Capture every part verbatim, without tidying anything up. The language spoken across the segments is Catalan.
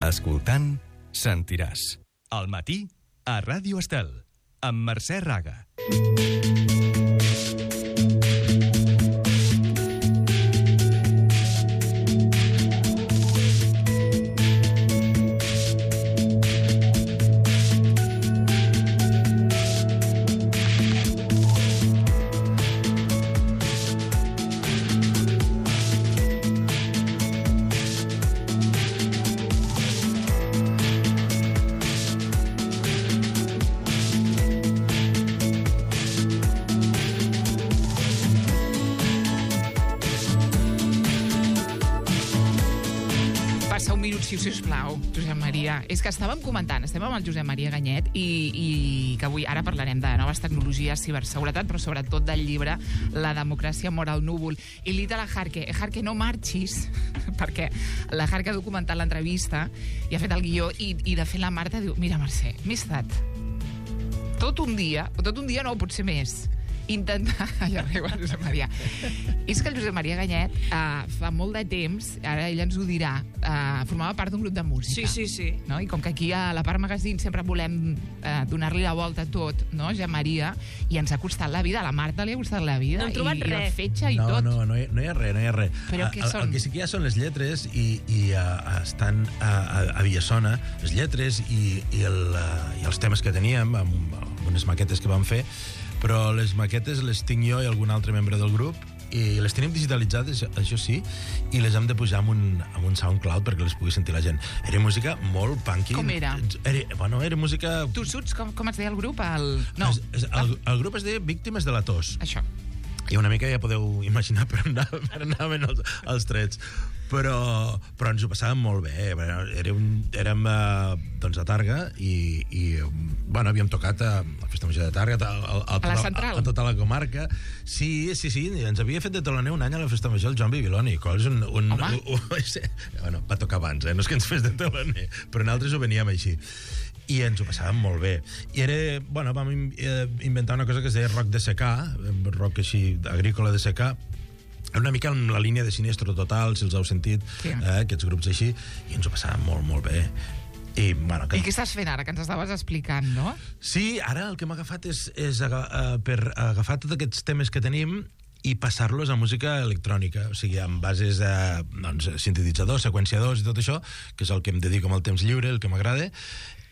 Escoltant, sentiràs. Al matí, a Ràdio Estel, amb Mercè Raga. Si us plau, Josep Maria. És que estàvem comentant, estem amb el Josep Maria Ganyet i, i que avui ara parlarem de noves tecnologies, ciberseguretat, però sobretot del llibre La democràcia mor al núvol. I li dit a la Jarque, eh, Jarque, no marxis, perquè la Jarque ha documentat l'entrevista i ha fet el guió i, i de fet la Marta diu, mira Mercè, m'he estat tot un dia, o tot un dia no, potser més, intentar... Ja riu el Josep Maria. És que el Josep Maria Ganyet uh, fa molt de temps, ara ell ens ho dirà, uh, formava part d'un grup de música. Sí, sí, sí. No? I com que aquí a la Part Magazine sempre volem uh, donar-li la volta a tot, no, Josep Maria, i ens ha costat la vida, a la Marta li ha costat la vida. No hem trobat i, i res. la fetge i no, tot. No, no, hi, no hi ha res, no hi ha res. Però què el, són? El que sí que hi ha són les lletres i, i uh, estan a, a, a Villasona, les lletres i, i, el, uh, i els temes que teníem, amb, amb unes maquetes que vam fer, però les maquetes les tinc jo i algun altre membre del grup i les tenim digitalitzades, això sí, i les hem de pujar amb un, amb un SoundCloud perquè les pugui sentir la gent. Era música molt punky. Com era? Era, bueno, era música... Tu suts, com, com es deia el grup? El... No. Es, es, el, el grup es deia Víctimes de la tos. Això. I una mica ja podeu imaginar per on anaven els, els trets. Però, però ens ho passàvem molt bé. Era un, érem a, doncs a Targa i, i bueno, havíem tocat a la Festa Major de Targa, a, a, a, a la Central. A, a tota la comarca. Sí, sí, sí, ens havia fet de teloner un any a la Festa Major el Joan Bibiloni. És un, un, un, un, bueno, va tocar abans, eh? No és que ens fes de teloner, però nosaltres ho veníem així. I ens ho passàvem molt bé. I era, bueno, vam inventar una cosa que es deia rock de secà, rock així agrícola de secà, una mica en la línia de Sinestro Total, si els heu sentit, sí. eh, aquests grups així, i ens ho passàvem molt, molt bé. I, bueno, que... I què estàs fent ara, que ens estaves explicant, no? Sí, ara el que m'ha agafat és, és aga, uh, per agafar tots aquests temes que tenim i passar-los a música electrònica, o sigui, amb bases de doncs, sintetitzadors, seqüenciadors i tot això, que és el que em dedico amb el temps lliure, el que m'agrada,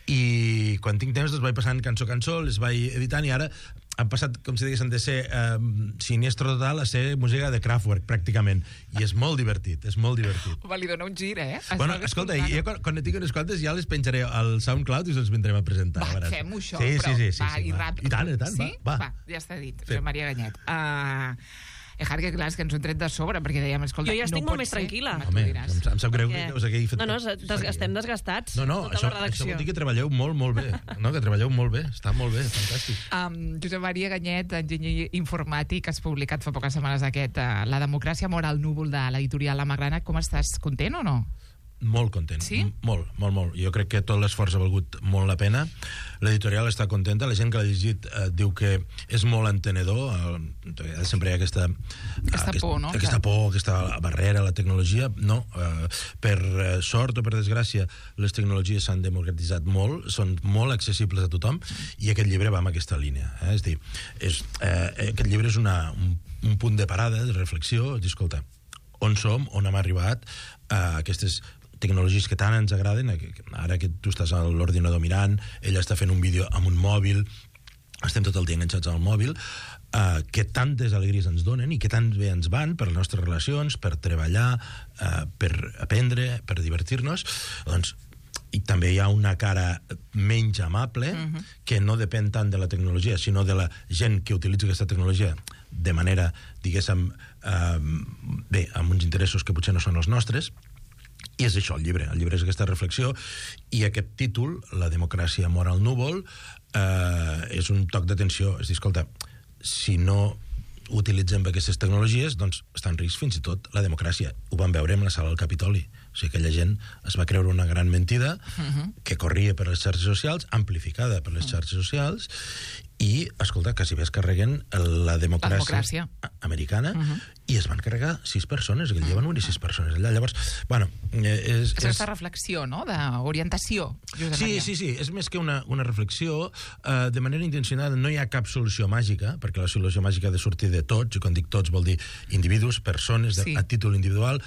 i quan tinc temps els vaig passant cançó a cançó, les vaig editant i ara han passat, com si diguessin, de ser eh, Sinestro Total a ser música de Kraftwerk, pràcticament. I és molt divertit, és molt divertit. Home, li dona un gir, eh? Es bueno, escolta, jo quan, quan ne tinc unes quantes ja les penjaré al SoundCloud i els vindrem a presentar. Va, fem-ho això, sí, però sí, sí, sí, va, sí, i va. ràpid. I tant, i tant, sí? va, va. va. Ja està dit, Josep Maria Ganyet. Uh, Eh, Jarque, clar, és que ens ho hem tret de sobre, perquè dèiem, escolta, jo ja estic no molt més ser, tranquil·la. Home, em, em sap greu perquè... que us hagueu fet... No, no, des, estem desgastats. No, no, tota això, la redacció. això vol dir que treballeu molt, molt bé. No, que treballeu molt bé, està molt bé, fantàstic. Um, Josep Maria Ganyet, enginyer informàtic, has publicat fa poques setmanes aquest uh, La democràcia mor al núvol de l'editorial La Magrana. Com estàs? Content o no? Molt content, sí? molt, molt, molt. Jo crec que tot l'esforç ha valgut molt la pena. L'editorial està contenta, la gent que l'ha llegit eh, diu que és molt entenedor, eh, sempre hi ha aquesta aquesta aquest, por, no? Aquesta por, aquesta barrera a la tecnologia. No, eh, per sort o per desgràcia, les tecnologies s'han democratitzat molt, són molt accessibles a tothom, i aquest llibre va en aquesta línia. Eh? És dir, és, eh, aquest llibre és una, un, un punt de parada, de reflexió, és dir, escolta, on som, on hem arribat, a aquestes tecnologies que tant ens agraden, ara que tu estàs a l'ordinador mirant, ella està fent un vídeo amb un mòbil, estem tot el dia enganxats al mòbil, eh, que tantes alegries ens donen i que tan bé ens van per les nostres relacions, per treballar, eh, per aprendre, per divertir-nos, doncs i també hi ha una cara menys amable, uh-huh. que no depèn tant de la tecnologia, sinó de la gent que utilitza aquesta tecnologia de manera, diguéssim, eh, bé, amb uns interessos que potser no són els nostres. I és això el llibre, el llibre és aquesta reflexió, i aquest títol, La democràcia mor al núvol, eh, és un toc d'atenció, és dir, escolta, si no utilitzem aquestes tecnologies, doncs està en risc fins i tot la democràcia. Ho vam veure en la sala del Capitoli, o sigui, aquella gent es va creure una gran mentida uh-huh. que corria per les xarxes socials, amplificada per les xarxes socials, i, escolta, quasi bé es carreguen la democràcia, la democràcia. americana, uh -huh. i es van carregar sis persones, aquell dia van morir sis persones allà. Llavors, bueno... És, és aquesta reflexió, no?, d'orientació. Sí, sí, sí, és més que una, una reflexió. Uh, de manera intencionada no hi ha cap solució màgica, perquè la solució màgica ha de sortir de tots, i quan dic tots vol dir individus, persones, de, sí. a títol individual,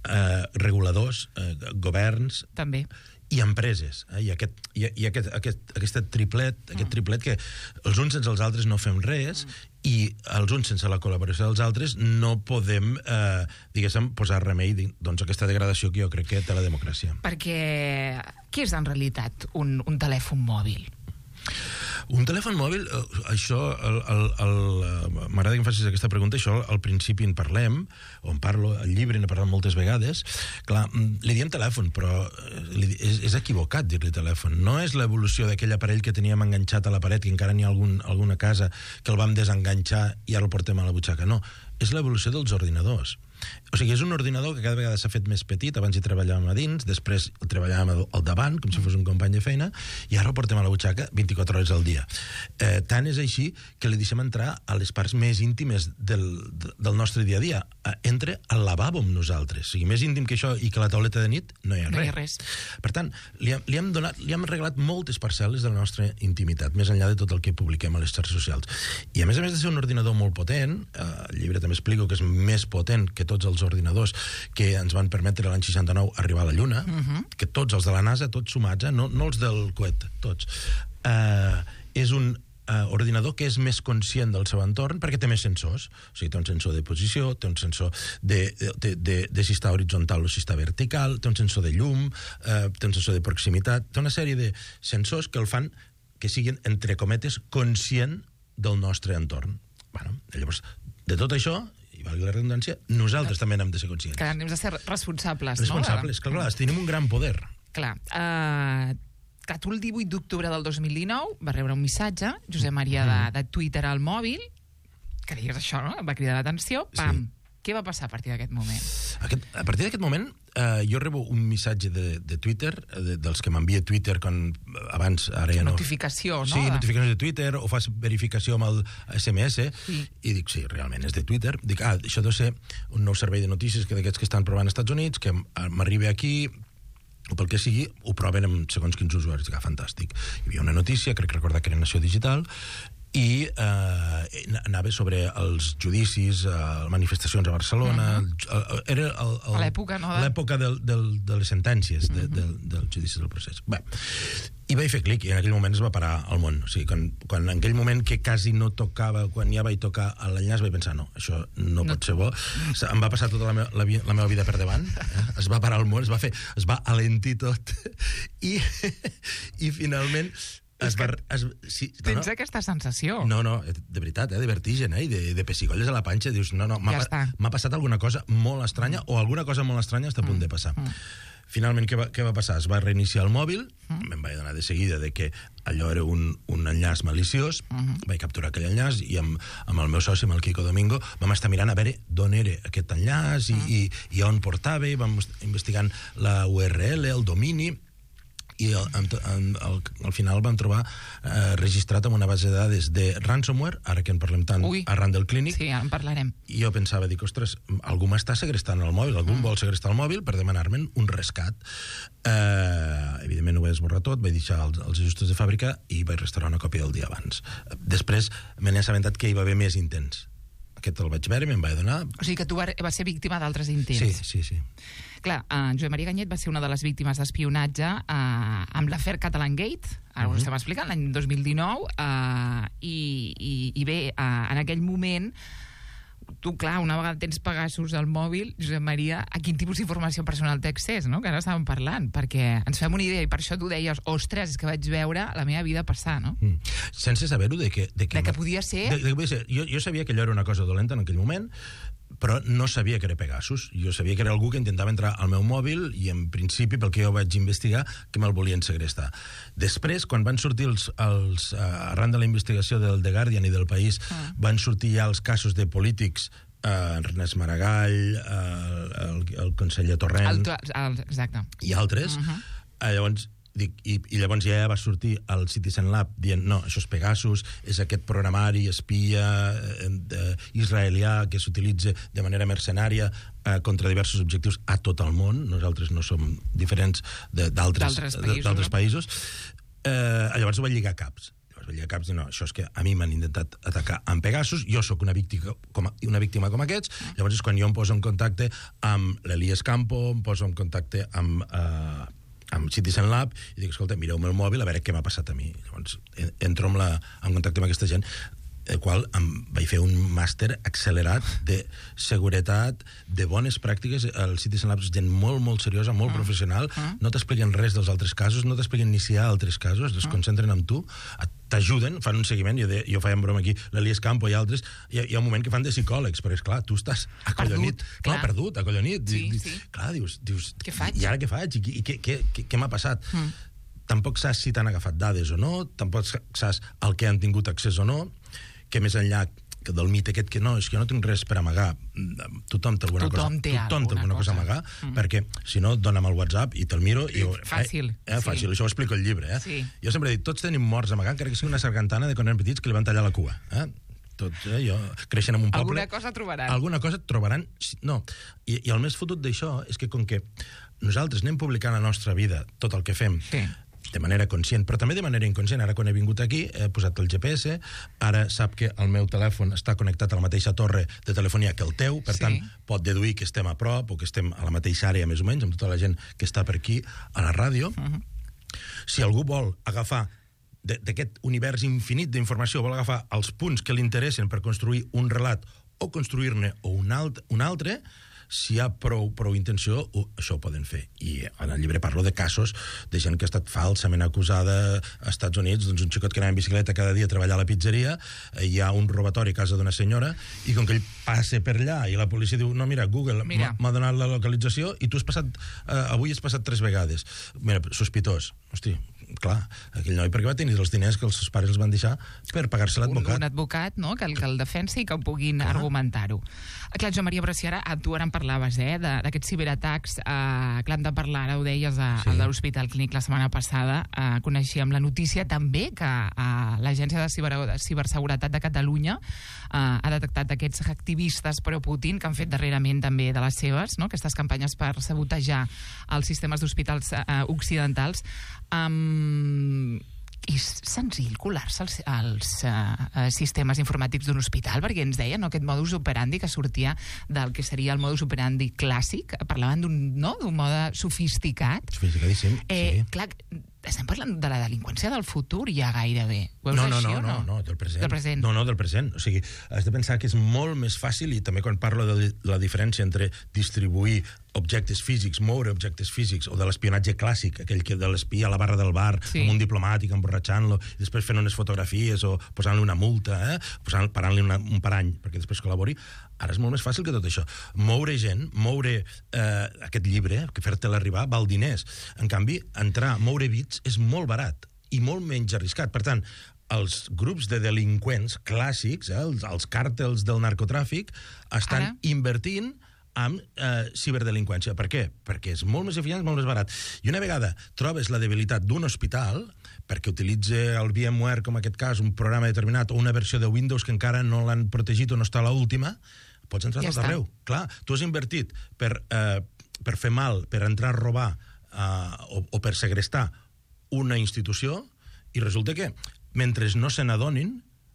uh, reguladors, uh, governs... També. I empreses, eh? I, aquest, i, i aquest, aquest, aquest triplet, aquest triplet que els uns sense els altres no fem res, mm. i els uns sense la col·laboració dels altres no podem, eh, diguéssim, posar remei doncs, a aquesta degradació que jo crec que té la democràcia. Perquè què és en realitat un, un telèfon mòbil? Un telèfon mòbil, això, el, el, el, m'agrada que em facis aquesta pregunta, això al principi en parlem, o en parlo al llibre, n'he parlat moltes vegades. Clar, li diem telèfon, però és, és equivocat dir-li telèfon. No és l'evolució d'aquell aparell que teníem enganxat a la paret, que encara n'hi ha algun, alguna casa que el vam desenganxar i ara el portem a la butxaca. No, és l'evolució dels ordinadors. O sigui, és un ordinador que cada vegada s'ha fet més petit. Abans hi treballàvem a dins, després el treballàvem al davant, com si fos un company de feina, i ara el portem a la butxaca vint-i-quatre hores al dia. Eh, tant és així que li deixem entrar a les parts més íntimes del, del nostre dia a dia. Eh, entra al lavabo amb nosaltres. O sigui, més íntim que això i que la tauleta de nit, no hi ha, no res. hi ha res. Per tant, li, li, hem donat, li hem regalat moltes parcel·les de la nostra intimitat, més enllà de tot el que publiquem a les xarxes socials. I a més a més de ser un ordinador molt potent, eh, el llibre també explico que és més potent que tots els ordinadors que ens van permetre l'any seixanta-nou arribar a la Lluna, uh -huh. que tots els de la NASA, tots sumats, eh? no, no els del coet, tots. Uh, és un uh, ordinador que és més conscient del seu entorn perquè té més sensors. O sigui, té un sensor de posició, té un sensor de, de, de, de si està horitzontal o si està vertical, té un sensor de llum, uh, té un sensor de proximitat, té una sèrie de sensors que el fan que siguin, entre cometes, conscient del nostre entorn. Bueno, llavors, de tot això, i valgui la redundància, nosaltres també n'hem de ser conscients. Que hem de ser responsables, responsables, no? Clar, clar, tenim un gran poder. Clar. Uh, clar, tu el divuit d'octubre del dos mil dinou va rebre un missatge, Josep Maria, de, de Twitter al mòbil, que digues això, no? Va cridar l'atenció, pam. Sí. Què va passar a partir d'aquest moment? Aquest, a partir d'aquest moment, eh, jo rebo un missatge de, de Twitter, de, dels que m'envia Twitter quan abans... Ara ja no... Notificació, no? Sí, notificacions de Twitter, o fas verificació amb el S M S, sí. I dic, sí, realment és de Twitter. Dic, ah, això deu ser un nou servei de notícies que d'aquests que estan provant als Estats Units, que m'arriba aquí, o pel que sigui, ho proven amb segons quins usuaris. Dic, ah, fantàstic. Hi havia una notícia, crec recordar que era Nació Digital, i eh, anava sobre els judicis, eh, manifestacions a Barcelona. Uh-huh. el, era el, el, l'època, no? L'època del, del, de les sentències, de, uh-huh. del, del judici del procés. Bé, i vaig fer clic, i en aquell moment es va parar el món. O sigui, quan, quan en aquell moment que quasi no tocava, quan ja vaig tocar a l'enllaç, vaig pensar, no, això no, no pot ser bo. Em va passar tota la, meva, la, la meva vida per davant, eh? Es va parar el món, es va fer, es va alentir tot, i, i finalment... Es va, es, sí, tens no, no. aquesta sensació. No, no, de veritat, eh, de vertigen, eh, de, de pessigolles a la panxa. Dius, no, no, m'ha ja m'ha passat alguna cosa molt estranya, o alguna cosa molt estranya està a punt mm. de passar. Mm. Finalment, què va, què va passar? Es va reiniciar el mòbil, mm. me'n vaig donar de seguida de que allò era un, un enllaç maliciós, mm-hmm. vaig capturar aquell enllaç, i amb, amb el meu soci, amb el Quico Domingo, vam estar mirant a veure d'on era aquest enllaç, mm. i, i, i on portava, i vam investigant la U R L, el domini, i al, al, al, al final vam trobar eh, registrat en una base de dades de ransomware, ara que en parlem tant Ui. arran del clínic. Sí, ara en parlarem. I jo pensava, dic, ostres, algú m'està segrestant el mòbil, algú mm. vol segrestar el mòbil per demanar-me'n un rescat. Eh, evidentment ho vaig esborrar tot, vaig deixar els, els ajustos de fàbrica i vaig restaurar una còpia del dia abans. Després me n'he assabentat que hi va haver més intents. Aquest el vaig veure, me'n vaig donar... O sigui que tu vas ser víctima d'altres intents. Sí, sí, sí. Clar, uh, Josep Maria Ganyet va ser una de les víctimes d'espionatge uh, amb l'afer Catalangate, ara uh-huh. ho estem explicant, l'any dos mil dinou, uh, i, i, i bé, uh, en aquell moment, tu, clar, una vegada tens Pegasus al mòbil, Josep Maria, a quin tipus d'informació personal té accés, no?, que ara estàvem parlant, perquè ens fem una idea, i per això tu deies, ostres, és que vaig veure la meva vida passar, no? Mm. Sense saber-ho de que... De que, de que podia ser... De, de que podia ser. Jo, jo sabia que allò era una cosa dolenta en aquell moment, però no sabia que era Pegasus. Jo sabia que era algú que intentava entrar al meu mòbil i, en principi, pel que jo vaig investigar, que me'l volien segrestar. Després, quan van sortir els... els uh, arran de la investigació del The Guardian i del País, ah. van sortir ja els casos de polítics, uh, Ernest Maragall, uh, el, el conseller Torrent... El, el, exacte. I altres. Uh-huh. Uh, llavors, dic, i, i llavors ja va sortir el Citizen Lab dient, no, això és Pegasus, és aquest programari espia eh, eh, israelià que s'utilitza de manera mercenària eh, contra diversos objectius a tot el món. Nosaltres no som diferents d'altres països. països. Eh, llavors ho va lligar caps. Llavors va lligar caps i no, això és que a mi m'han intentat atacar amb Pegasus, jo sóc una víctima com, a, una víctima com aquests, llavors és quan jo em poso en contacte amb l'Elias Campo, em poso en contacte amb... Eh, amb Citizen Lab, i dic, escolta, mireu-me el mòbil a veure què m'ha passat a mi. Llavors, entro en, la, en contacte amb aquesta gent, el qual em vaig fer un màster accelerat de seguretat, de bones pràctiques. El Citizen Lab és gent molt, molt seriosa, molt mm. professional, mm. no t'expliquen res dels altres casos, no t'expliquen ni si hi ha altres casos, es mm. concentren en tu, t'ajuden, fan un seguiment, jo, de, jo feia en broma aquí, l'Elias Campo i altres, hi ha, hi ha un moment que fan de psicòlegs, però és clar, tu estàs acollonit. Perdut, clar. No, perdut, acollonit. Sí, di, sí. Clar, dius, dius, què faig? I ara què faig? I, i què, què, què, què m'ha passat? Mm. Tampoc saps si t'han agafat dades o no, tampoc saps el que han tingut accés o no, que més enllà que del mite aquest que no, és que no tinc res per amagar. Tothom té alguna tothom cosa, té tothom té alguna cosa a amagar, mm-hmm. perquè si no, dona'm el WhatsApp i te'l miro. I, fàcil. Eh, eh, fàcil, sí. Això ho explico al llibre. Eh? Sí. Jo sempre he dit, tots tenim morts a amagar, encara que sigui una sargantana de quan eren petits que li van tallar la cua. Eh? Tots, eh, jo, creixen en un poble... Alguna cosa trobaran. Alguna cosa trobaran. No. I, i el més fotut d'això és que com que nosaltres anem publicant a la nostra vida tot el que fem, sí, de manera conscient, però també de manera inconscient. Ara, quan he vingut aquí, he posat el G P S, ara sap que el meu telèfon està connectat a la mateixa torre de telefonia que el teu, per sí, tant, pot deduir que estem a prop o que estem a la mateixa àrea, més o menys, amb tota la gent que està per aquí, a la ràdio. Uh-huh. Si algú vol agafar d'aquest univers infinit d'informació, vol agafar els punts que li interessen per construir un relat o construir-ne un, alt, un altre, si hi ha prou, prou intenció, uh, això ho poden fer. I en el llibre parlo de casos de gent que ha estat falsament acusada als Estats Units, doncs un xicot que anava en bicicleta cada dia a treballar a la pizzeria, eh, hi ha un robatori a casa d'una senyora, i com que ell passa per allà, i la policia diu, no, mira, Google mira. m'ha donat la localització, i tu has passat, eh, avui has passat tres vegades. Mira, sospitós. Hosti, clar, aquell noi perquè va tenir els diners que els seus pares els van deixar per pagar-se l'advocat. Un, un advocat, no?, que el, que el defensi i que ho puguin clar. argumentar-ho. Clar, Jo Maria, però si ara tu ara en parlaves, eh, d'aquests ciberatacs, eh, clar, hem de parlar, ara ho deies, a, sí. a l'Hospital Clínic la setmana passada, eh, coneixíem la notícia també que eh, l'Agència de, Ciber, de Ciberseguretat de Catalunya eh, ha detectat aquests activistes pro-Putin que han fet darrerament també de les seves, no?, aquestes campanyes per sabotejar els sistemes d'hospitals eh, occidentals. Um, és senzill colar-se als, als uh, sistemes informàtics d'un hospital, perquè ens deien, no?, aquest modus operandi que sortia del que seria el modus operandi clàssic, parlaven d'un, no?, d'un mode sofisticat. Sofisticadíssim, eh, sí. Clar, estem parlant de la delinqüència del futur ja gairebé. Ho veus no, no, així no, o no? no, no, del present. Del present. No, no, del present. O sigui, has de pensar que és molt més fàcil, i també quan parlo de la diferència entre distribuir objectes físics, moure objectes físics, o de l'espionatge clàssic, aquell que de l'espia a la barra del bar, sí, amb un diplomàtic, emborratxant-lo, i després fent unes fotografies o posant-li una multa, eh? Posant, parant-li una, un parany perquè després col·labori. Ara és molt més fàcil que tot això. Moure gent, moure eh, aquest llibre, que fer-te-lo arribar, val diners. En canvi, entrar, moure bits, és molt barat i molt menys arriscat. Per tant, els grups de delinqüents clàssics, eh, els, els càrtels del narcotràfic, estan Ara? invertint amb eh, ciberdelinqüència. Per què? Perquè és molt més eficient, molt més barat. I una vegada trobes la debilitat d'un hospital, perquè utilitza el VMware, com en aquest cas, un programa determinat, o una versió de Windows que encara no l'han protegit o no està a l'última, pots entrar ja tot arreu. Clar, tu has invertit per, eh, per fer mal, per entrar a robar eh, o, o per segrestar una institució, i resulta que, mentre no se n'adonin,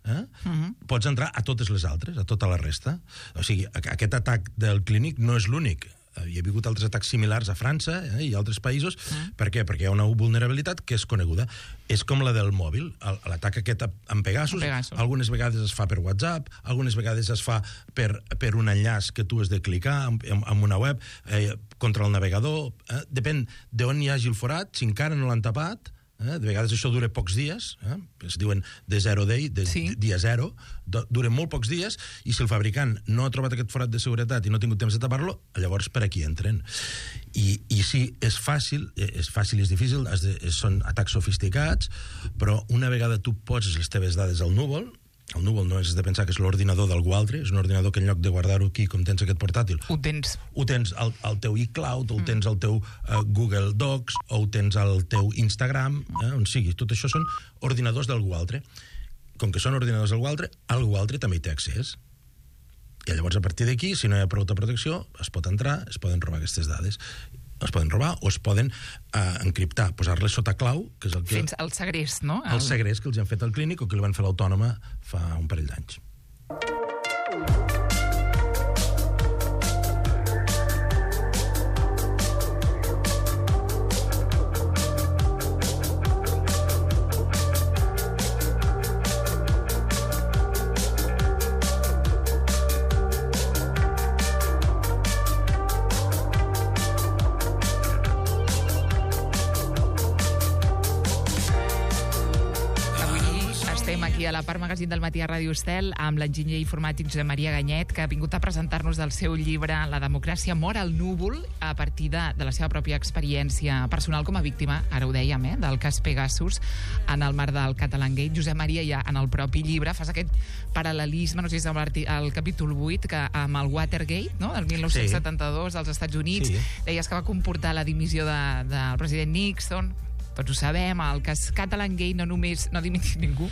eh, uh-huh. pots entrar a totes les altres, a tota la resta. O sigui, aquest atac del Clínic no és l'únic. Hi ha hagut altres atacs similars a França eh, i a altres països. Mm. Per què? Perquè hi ha una vulnerabilitat que és coneguda. És com la del mòbil. L'atac aquest amb Pegasus, Pegasus, algunes vegades es fa per WhatsApp, algunes vegades es fa per, per un enllaç que tu has de clicar en, en una web, eh, contra el navegador. Eh, depèn d'on hi hagi el forat, si encara no l'han tapat. Eh? De vegades això dura pocs dies, eh? Es diuen de zero day, de sí. dia zero, dura molt pocs dies, i si el fabricant no ha trobat aquest forat de seguretat i no ha tingut temps de tapar-lo, llavors per aquí entren. I, i sí, és fàcil, és fàcil i és difícil, de, són atacs sofisticats, però una vegada tu poses les teves dades al núvol, El núvol no és de pensar que és l'ordinador d'algú altre, és un ordinador que en lloc de guardar-ho aquí, com tens aquest portàtil... Ho tens. Ho tens al, al teu iCloud, o ho tens al teu uh, Google Docs, o ho tens al teu Instagram, eh, on sigui. Tot això són ordinadors d'algú altre. Com que són ordinadors d'algú altre, algú altre també hi té accés. I llavors, a partir d'aquí, si no hi ha prou protecció, es pot entrar, es poden robar aquestes dades. Es poden robar o es poden uh, encriptar, posar-les sota clau, que és el que... Fins al segrest, no? El segrest que els han fet al clínic o que li van fer l'autònoma fa un parell d'anys. Aquí a la Part Magazín del Matí a Ràdio Estel amb l'enginyer informàtic Josep Maria Ganyet, que ha vingut a presentar-nos del seu llibre La democràcia mor al núvol, a partir de, de la seva pròpia experiència personal com a víctima, ara ho dèiem, eh, del cas Pegasus en el marc del Catalangate. Josep Maria, ja en el propi llibre fas aquest paral·lelisme, no sé si és el capítol vuit, que amb el Watergate, no?, del mil nou-cents setanta-dos als Estats Units, sí. Deies que va comportar la dimissió de, del president Nixon. Tots ho sabem, el cas Catalangate no només no ha dimitit ningú,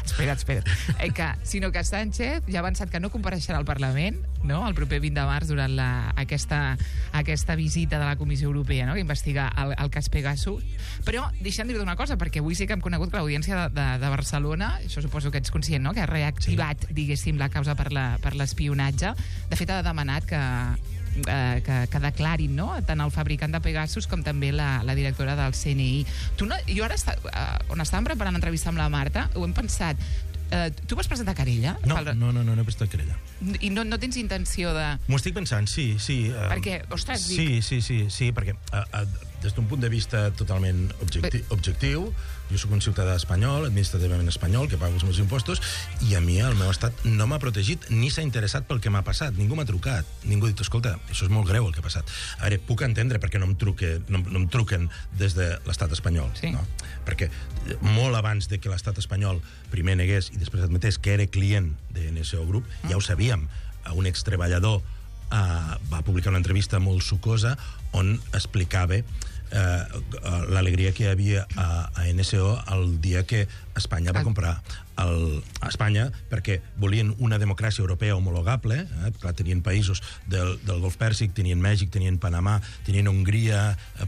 espera't, espera't, eh, que, sinó que Sánchez ja ha avançat que no compareixerà al Parlament, no?, el proper vint de març durant la, aquesta, aquesta visita de la Comissió Europea, no?, que investiga el, el cas Pegasus. Però deixa'm dir-te una cosa, perquè avui sí que hem conegut que l'Audiència de, de, de Barcelona, això suposo que ets conscient, no?, que ha reactivat, sí. diguéssim, la causa per la, per l'espionatge. De fet, ha demanat que Eh, que, que declarin, no?, tant el fabricant de Pegasus com també la, la directora del C N I. Tu no, jo ara, està, eh, on estàvem preparant l'entrevista amb la Marta, ho hem pensat. Eh, tu vas presentar querella? No, no, no, no, no he presentat querella. I no, no tens intenció de... M'ho estic pensant, sí, sí. Uh, perquè, ostres, dic... Sí, sí, sí, sí, perquè uh, uh, des d'un punt de vista totalment objecti Be... objectiu, jo sóc un ciutadà espanyol, administrativament espanyol, que paga els meus impostos, i a mi el meu estat no m'ha protegit ni s'ha interessat pel que m'ha passat. Ningú m'ha trucat. Ningú ha dit, escolta, això és molt greu el que ha passat. A veure, puc entendre perquè no em, truque, no, no em truquen des de l'estat espanyol. Sí. No? Perquè molt abans de que l'estat espanyol primer negués i després admetés que era client de N S O Group, mm. ja ho sabíem. Un extreballador uh, va publicar una entrevista molt sucosa on explicava Uh, l'alegria que hi havia a, a N S O el dia que Espanya va comprar el, a Espanya, perquè volien una democràcia europea homologable, eh? Clar, tenien països del, del Golf Pèrsic, tenien Mèxic, tenien Panamà, tenien Hongria,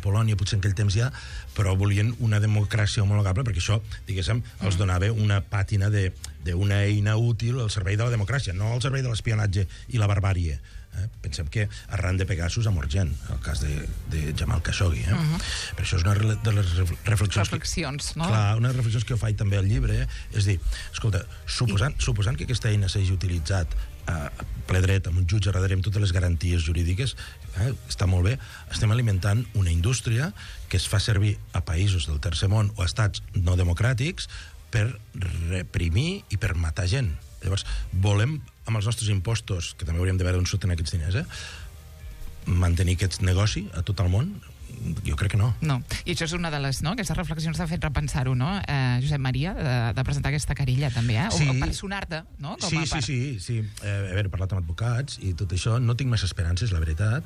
Polònia, potser en aquell temps ja, però volien una democràcia homologable perquè això, diguéssim, els donava una pàtina d'una eina útil al servei de la democràcia, no al servei de l'espionatge i la barbàrie. Eh? Pensem que arran de Pegasus ha mort gent, el cas de, de Jamal Khashoggi. Eh? Uh -huh. Per això és una de les reflexions... Reflexions, que, no? Clar, una de les reflexions que jo faig també al llibre, eh? És dir, escolta, suposant, I... suposant que aquesta eina s'hagi utilitzat a ple dret, amb un jutge darrere, amb totes les garanties jurídiques, eh? Està molt bé, estem alimentant una indústria que es fa servir a països del tercer món o a estats no democràtics per reprimir i per matar gent. Llavors, volem, amb els nostres impostos, que també hauríem de veure on surten aquests diners, eh? mantenir aquest negoci a tot el món? Jo crec que no. No, i això és una de les, no?, aquestes reflexions t'ha fet repensar-ho, no?, eh, Josep Maria, de, de presentar aquesta querella, també, eh? Sí. O, o personar-te, no? Com sí, a part. sí, sí, sí. Eh, a veure, he parlat amb advocats i tot això, no tinc massa esperances, la veritat,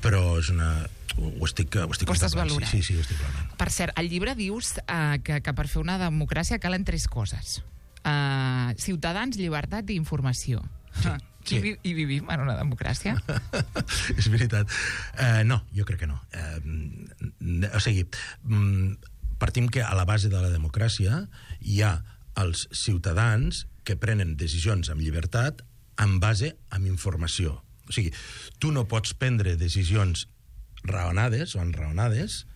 però és una... Ho estic, ho estic ho estàs valorant. Sí, sí, sí, ho estic valorant. Per cert, al llibre dius eh, que, que per fer una democràcia calen tres coses. Uh, ciutadans, llibertat i informació. Sí, sí. I, I vivim en una democràcia? És veritat. Uh, no, jo crec que no. Uh, o sigui, um, partim que a la base de la democràcia hi ha els ciutadans que prenen decisions amb llibertat en base amb informació. O sigui, tu no pots prendre decisions raonades o enraonades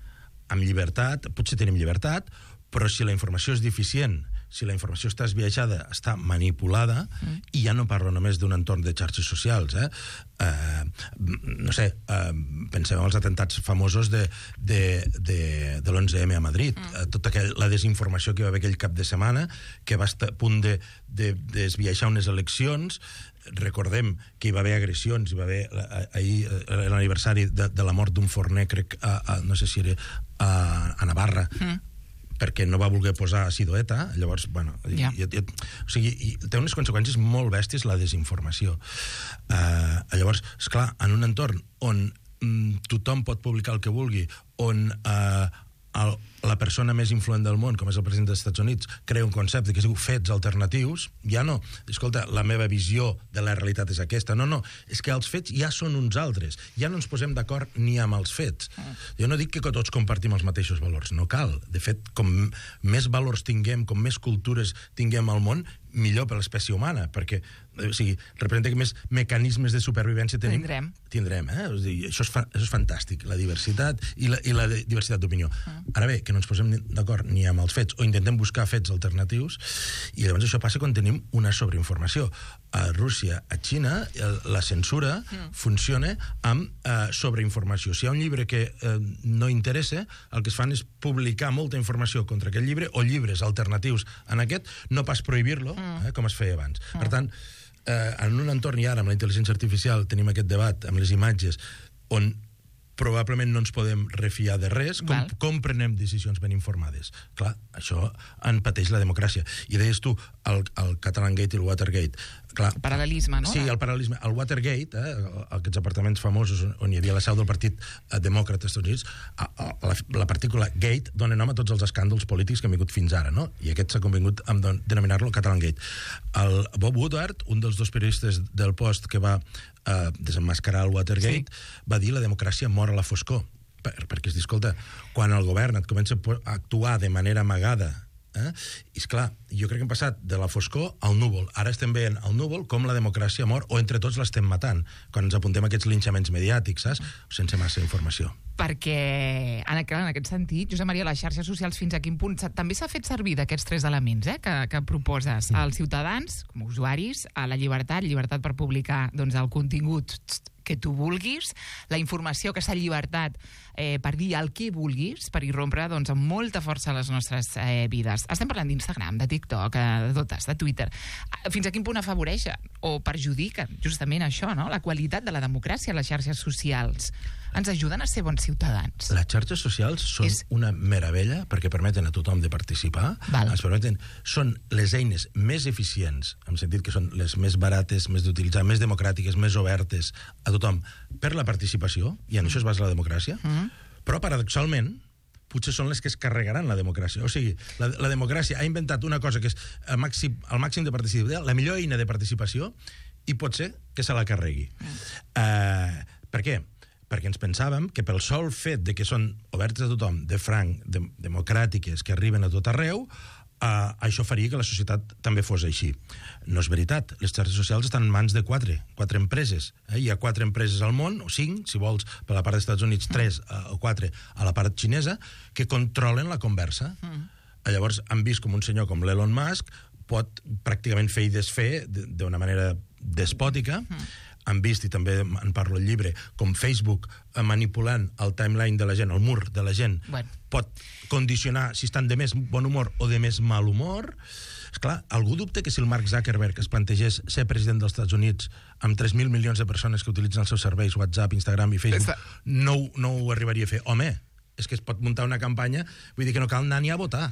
amb llibertat, potser tenim llibertat, però si la informació és deficient, si la informació està esbiaixada, està manipulada, mm. i ja no parlo només d'un entorn de xarxes socials, eh? Uh, no sé, uh, pensem en els atentats famosos de, de, de, de l'onze eme a Madrid, mm. uh, tota aquella, la desinformació que va haver aquell cap de setmana, que va estar a punt de, de, de esbiaixar unes eleccions. Recordem que hi va haver agressions, hi va haver ahir l'aniversari de, de la mort d'un forner, crec, a, a, no sé si era a, a Navarra, mm. perquè no va voler posar Sidoeta, llavors, bueno... Ja. I, i, o sigui, i té unes conseqüències molt bèsties la desinformació. Uh, llavors, esclar, en un entorn on mm, tothom pot publicar el que vulgui, on uh, el, la persona més influent del món, com és el president dels Estats Units, crea un concepte que es diu fets alternatius, ja no, escolta, la meva visió de la realitat és aquesta. No, no, és que els fets ja són uns altres. Ja no ens posem d'acord ni amb els fets. Jo no dic que tots compartim els mateixos valors, no cal. De fet, com més valors tinguem, com més cultures tinguem al món, millor per l'espècie humana, perquè o sigui, representa que més mecanismes de supervivència tenim. Tindrem. Tindrem, eh? O sigui, això, és fa, això és fantàstic, la diversitat i la, i la diversitat d'opinió. Ah. Ara bé, que no ens posem d'acord ni amb els fets, o intentem buscar fets alternatius, i llavors això passa quan tenim una sobreinformació. A Rússia, a Xina, la censura mm. funciona amb eh, sobreinformació. Si hi ha un llibre que eh, no interessa, el que es fan és publicar molta informació contra aquest llibre, o llibres alternatius en aquest, no pas prohibir-lo, mm. eh, com es feia abans. Mm. Per tant, eh, en un entorn, i ara amb la intel·ligència artificial tenim aquest debat amb les imatges, on probablement no ens podem refiar de res, com, com prenem decisions ben informades. Clar, això en pateix la democràcia. I deies tu, el, el Catalangate i el Watergate. Clar, el paral·lelisme, no? Sí, el paral·lelisme. El Watergate, eh, aquests apartaments famosos on hi havia la seu del Partit Demòcrata dels Estats Units, a, a, la, la partícula Gate dona nom a tots els escàndols polítics que han vingut fins ara, no? I aquest s'ha convingut en denominar-lo Catalangate. El Bob Woodward, un dels dos periodistes del Post que va eh, desenmascarar el Watergate, sí. va dir la democràcia mor a la foscor. Per, perquè es diu, escolta, quan el govern et comença a actuar de manera amagada, eh? I esclar, jo crec que hem passat de la foscor al núvol. Ara estem veient al núvol com la democràcia mor, o entre tots l'estem matant, quan ens apuntem a aquests linxaments mediàtics, saps? Sense massa informació. Perquè, en aquest sentit, Josep Maria, les xarxes socials fins a quin punt també s'ha fet servir d'aquests tres elements eh, que, que proposes als ciutadans, com a usuaris, a la llibertat, llibertat per publicar doncs, el contingut que tu vulguis, la informació, aquesta llibertat eh, per dir el que vulguis, per irrompre doncs, amb molta força a les nostres eh, vides. Estem parlant d'Instagram, de TikTok, eh, de totes, de Twitter. Fins a quin punt afavoreixen o perjudiquen justament això, no? La qualitat de la democràcia a les xarxes socials. Ens ajuden a ser bons ciutadans. Les xarxes socials són és... una meravella perquè permeten a tothom de participar. Val. Ens permeten, són les eines més eficients, en el sentit que són les més barates, més d'utilitzar, més democràtiques, més obertes a tothom per la participació, i en mm. això es basa la democràcia, mm. però paradoxalment potser són les que es carregaran la democràcia. O sigui, la, la democràcia ha inventat una cosa que és el màxim, el màxim de participació, la millor eina de participació, i pot ser que se la carregui. Mm. Uh, per què? Perquè ens pensàvem que pel sol fet de que són obertes a tothom, de franc, de, democràtiques, que arriben a tot arreu, eh, això faria que la societat també fos així. No és veritat. Les xarxes socials estan en mans de quatre, quatre empreses. Eh? Hi ha quatre empreses al món, o cinc, si vols, per la part dels Estats Units, tres eh, o quatre a la part xinesa, que controlen la conversa. Mm. Llavors han vist com un senyor com l'Elon Musk pot pràcticament fer i desfer d'una manera despòtica. Mm. Han vist, i també en parlo al llibre, com Facebook, manipulant el timeline de la gent, el mur de la gent, bueno. pot condicionar si estan de més bon humor o de més mal humor. Esclar, algú dubta que si el Mark Zuckerberg es plantegés ser president dels Estats Units amb tres mil milions de persones que utilitzen els seus serveis, WhatsApp, Instagram i Facebook, no, no ho arribaria a fer? Home, és que es pot muntar una campanya, vull dir que no cal anar ni a votar.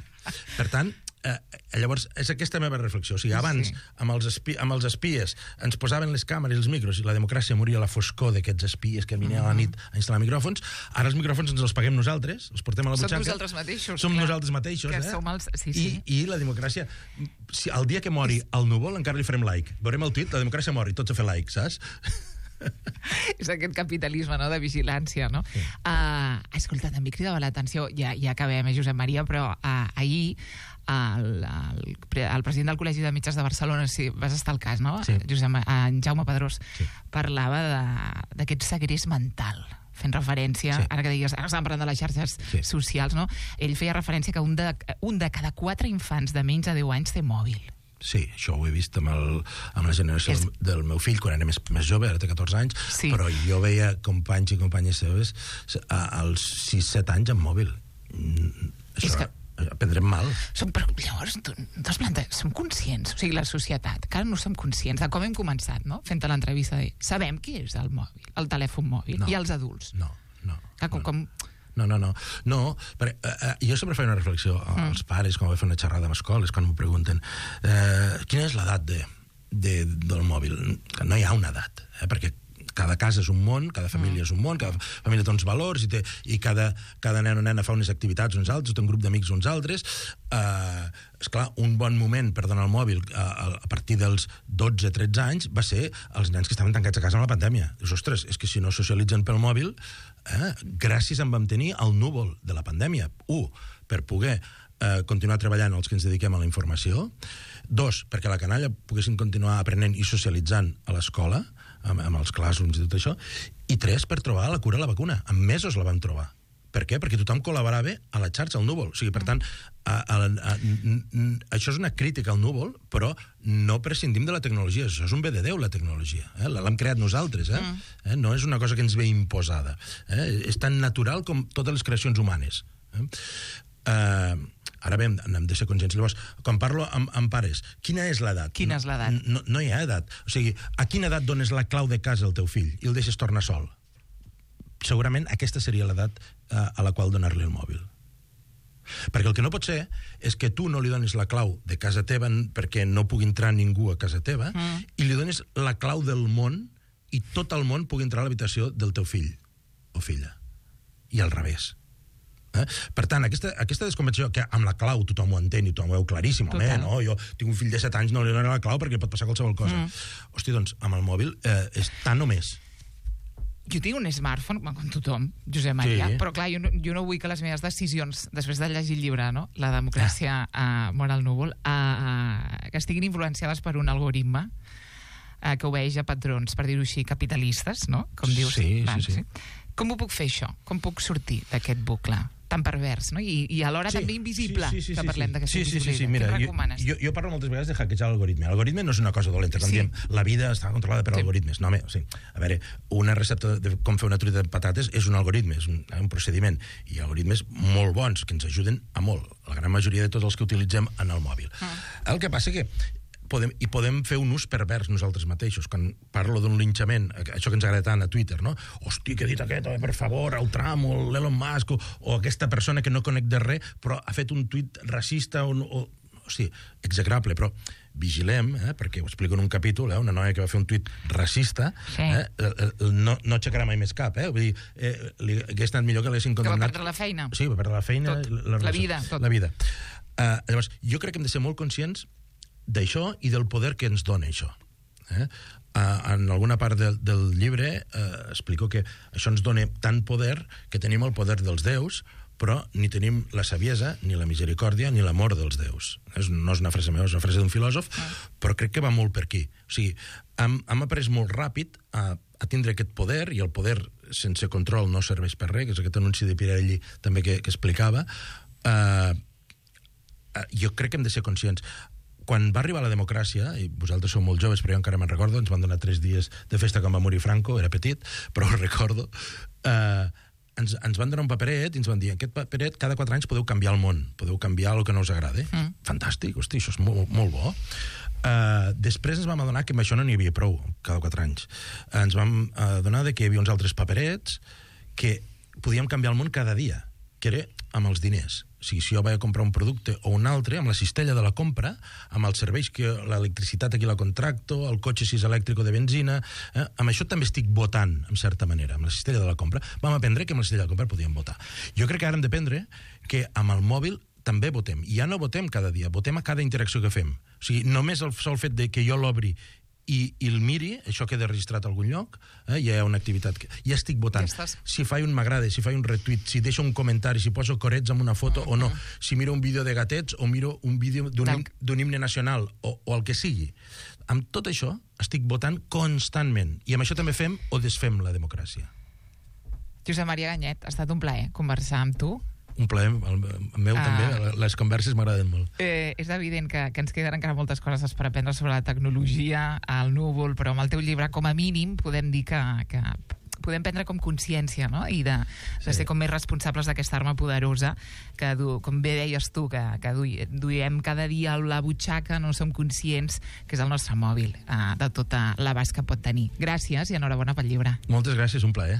Per tant, Eh, llavors, és aquesta meva reflexió. O sigui, abans, sí. amb, els espi amb els espies, ens posaven les càmeres i els micros i la democràcia moria a la foscor d'aquests espies que venien mm. a la nit a instal·lar micròfons. Ara els micròfons ens els paguem nosaltres, els portem a la butxaca. Som nosaltres mateixos. Som clar. nosaltres mateixos, que eh? Som els... sí, sí. I, I la democràcia... Si el dia que mori el núvol encara li farem like. Veurem el tuit, la democràcia mori, tots a fer like, saps? És aquest capitalisme, no?, de vigilància, no? Sí. Uh, escolta, també cridava l'atenció, ja, ja acabem, eh, Josep Maria, però uh, ahir el, el, el president del Col·legi de Metges de Barcelona, si vas estar al cas, no? Sí. Josep, en Jaume Pedrós, sí. parlava d'aquest segrest mental, fent referència, sí. ara que deies, ara estàvem parlant de les xarxes sí. socials, no? Ell feia referència que un de, un de cada quatre infants de menys de deu anys té mòbil. Sí, això ho he vist amb, el, amb la generació és... del meu fill, quan era més, més jove, ara té catorze anys, sí. però jo veia companys i companyes seves als sis set anys amb mòbil. Això és que... prendrem mal. Som, però llavors, tu, tu planta, som conscients, o sigui, la societat, que ara no som conscients de com hem començat, no?, fent l'entrevista de... Sabem què és el mòbil, el telèfon mòbil, no, i els adults. No, no. Que, com, no. com no, no, no. no perquè, uh, jo sempre faig una reflexió als mm. pares, quan vaig fer una xerrada amb escoles, quan m'ho pregunten, uh, quina és l'edat de, de, del mòbil? Que no hi ha una edat, eh? Perquè cada casa és un món, cada família mm. és un món, cada família té uns valors i, té, i cada, cada nen o nena fa unes activitats uns altres, té un grup d'amics uns altres. Uh, esclar, un bon moment per donar el mòbil uh, a partir dels dotze tretze anys va ser els nens que estaven tancats a casa amb la pandèmia. Dius, ostres, és que si no socialitzen pel mòbil, eh, gràcies en vam tenir el núvol de la pandèmia. Un, per poder uh, continuar treballant els que ens dediquem a la informació. Dos, perquè la canalla poguessin continuar aprenent i socialitzant a l'escola, amb, amb els classrooms i tot això. I tres, per trobar la cura a la vacuna. En mesos la vam trobar. Per què? Perquè tothom col·laborava a la xarxa, al núvol. O sigui, per tant, a, a, a, a, això és una crítica al núvol, però no prescindim de la tecnologia. Això és un bé de Déu, la tecnologia. Eh? L'hem creat nosaltres. Eh? Mm. Eh? No és una cosa que ens ve imposada. Eh? És tan natural com totes les creacions humanes. Eh? Uh, ara bé, hem de ser conscients. Llavors, quan parlo amb, amb pares, quina és l'edat? Quina és l'edat? No, no hi ha edat. O sigui, a quina edat dones la clau de casa al teu fill i el deixes tornar sol? Segurament aquesta seria l'edat uh, a la qual donar-li el mòbil. Perquè el que no pot ser és que tu no li donis la clau de casa teva perquè no pugui entrar ningú a casa teva mm. i li donis la clau del món i tot el món pugui entrar a l'habitació del teu fill o filla. I al revés. Eh? Per tant, aquesta, aquesta desconvenció, que amb la clau tothom ho entén i tothom ho veu claríssim, home, no? Jo tinc un fill de set anys, no li donaré la clau perquè pot passar qualsevol cosa. Mm. Hosti, doncs, amb el mòbil eh, és tant o més. Jo tinc un smartphone, com tothom, Josep Maria, sí. però clar, jo no, jo no vull que les meves decisions, després de llegir el llibre, no? La democràcia ah. uh, mor al núvol, uh, uh, que estiguin influenciades per un algoritme uh, que obeeix a patrons, per dir-ho així, capitalistes, no? Com dius. Sí, Van, sí, sí. sí. Com ho puc fer, això? Com puc sortir d'aquest bucle tan pervers, no? I, i alhora sí, també invisible, sí, sí, sí, que parlem sí, d'aquesta sí, sí, invisibilitat. sí, sí, mira, Què recomanes? Jo, jo parlo moltes vegades de hackejar l'algoritme. L'algoritme no és una cosa dolenta, quan Sí. diem la vida està controlada per Sí. algoritmes. No, home, o sigui, a veure, una recepta de com fer una truita de patates és un algoritme, és un, un procediment, i algoritmes molt bons, que ens ajuden a molt, la gran majoria de tots els que utilitzem en el mòbil. Ah. El que passa que podem, i podem fer un ús pervers nosaltres mateixos. Quan parlo d'un linxament, això que ens agrada tant a Twitter, no? Hosti, que ha dit aquest, oh, per favor, el Trump o l'Elon Musk, o, o aquesta persona que no conec de res, però ha fet un tuit racista, o, o, hosti, execrable, però vigilem, eh, perquè ho explico en un capítol, eh, una noia que va fer un tuit racista, sí. eh, no, no aixecarà mai més cap, eh? Vull dir, eh, li hagués estat millor que l'haguessin condemnat. Que va perdre la feina. Sí, va perdre la feina. Tot. La, la vida, tot. La vida. Uh, llavors, jo crec que hem de ser molt conscients d'això i del poder que ens dona això. Eh? Uh, en alguna part de, del llibre uh, explico que això ens dona tant poder que tenim el poder dels déus, però ni tenim la saviesa, ni la misericòrdia, ni l'amor dels déus. És, no és una frase meva, és una frase d'un filòsof, ah. però crec que va molt per aquí. O sigui, hem, hem après molt ràpid a, a tindre aquest poder, i el poder sense control no serveix per res, que és aquest anunci de Pirelli també que, que explicava. Uh, uh, jo crec que hem de ser conscients. Quan va arribar la democràcia, i vosaltres sou molt joves, però jo encara me'n recordo, ens van donar tres dies de festa quan va morir Franco, era petit, però ho recordo, eh, ens, ens van donar un paperet i ens van dir, aquest paperet cada quatre anys podeu canviar el món, podeu canviar el que no us agrada. Mm. Fantàstic, hosti, això és molt, molt bo. Uh, després ens vam adonar que amb això no n'hi havia prou, cada quatre anys. Uh, ens vam adonar que hi havia uns altres paperets que podíem canviar el món cada dia, que era amb els diners. O sigui, si jo vaig a comprar un producte o un altre, amb la cistella de la compra, amb els serveis, que l'electricitat aquí la contracto, el cotxe si és elèctric o de benzina, eh? Amb això també estic votant, en certa manera, amb la cistella de la compra. Vam aprendre que amb la cistella de la compra podíem votar. Jo crec que ara hem d'aprendre que amb el mòbil també votem. I ja no votem cada dia, votem a cada interacció que fem. O sigui, només el sol fet de que jo l'obri i, i el miri, això queda registrat a algun lloc, eh? Ja hi ha una activitat que... Ja estic votant. Ja si faig un m'agrada, si faig un retweet, si deixo un comentari, si poso corets amb una foto uh-huh. o no, si miro un vídeo de gatets o miro un vídeo d'un himne nacional o, o el que sigui. Amb tot això estic votant constantment. I amb això també fem o desfem la democràcia. Josep Maria Ganyet, ha estat un plaer conversar amb tu. Un plaer, el meu ah. també, les converses m'agraden molt. Eh, és evident que, que ens queden encara moltes coses per aprendre sobre la tecnologia, el núvol, però amb el teu llibre, com a mínim, podem dir que, que podem prendre com consciència, no? I de, de sí. ser com més responsables d'aquesta arma poderosa que, du, com bé deies tu, que, que du, duiem cada dia a la butxaca, no som conscients que és el nostre mòbil, eh, de tota l'abast que pot tenir. Gràcies i enhorabona pel llibre. Moltes gràcies, un plaer.